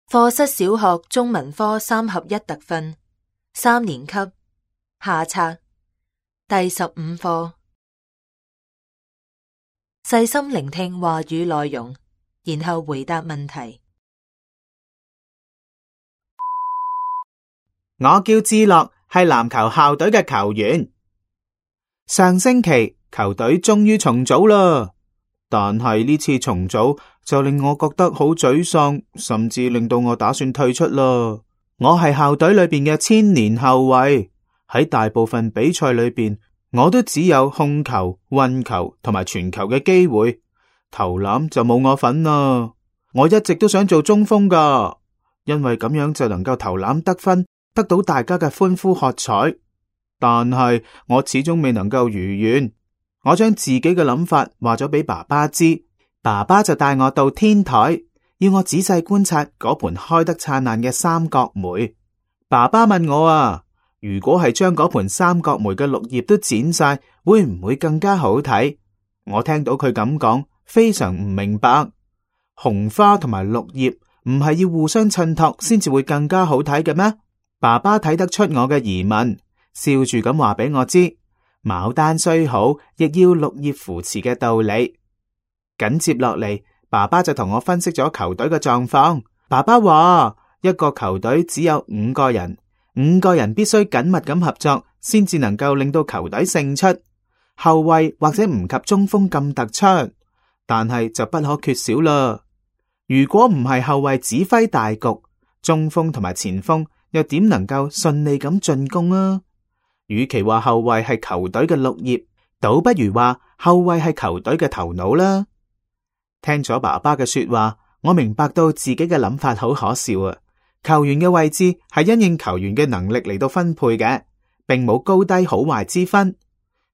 課室小學中文科3合1特訓3年級下冊第15課。細心聆聽話語內容，然後回答問題。我叫智樂，係籃球校隊嘅球員。上星期球隊終於重組啦，但係呢次重組就令我覺得好沮喪，甚至令到我打算退出啦。我係校隊裏邊嘅千年後衛，喺大部分比賽裏邊，我都只有控球、運球同埋傳球嘅機會，投籃就冇我份啦。我一直都想做中鋒噶，因為咁樣就能夠投籃得分，得到大家嘅歡呼喝彩。但係我始終未能夠如願。我將自己嘅諗法話咗俾爸爸知，爸爸就帶我到天台，要我仔細觀察嗰盆開得燦爛嘅三角梅。爸爸問我啊，如果係將嗰盆三角梅嘅綠葉都剪晒，會唔會更加好睇？我聽到佢咁講，非常唔明白。紅花同埋綠葉唔係要互相襯托先至會更加好睇嘅咩？爸爸睇得出我嘅疑問，笑住咁話俾我知，牡丹雖好，亦要綠葉扶持嘅道理。緊接落嚟，爸爸就同我分析咗球隊嘅狀況。爸爸話，一個球隊只有5個人，5個人必須緊密咁合作，先至能夠令到球隊勝出。後衛或者唔及中鋒咁突出，但係就不可缺少啦。如果唔係後衛指揮大局，中鋒同埋前鋒又點能夠順利咁進攻啊？與其話後衛係球隊嘅綠葉，倒不如話後衛係球隊嘅頭腦啦。聽咗爸爸嘅說話，我明白到自己嘅諗法好可笑啊！球員嘅位置係因應球員嘅能力嚟到分配嘅，並冇高低好壞之分。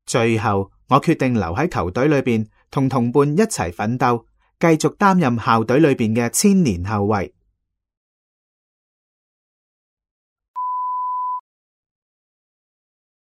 最後我決定留喺球隊裏邊，同同伴一齊奮鬥，繼續擔任校隊裏邊嘅千年後衛。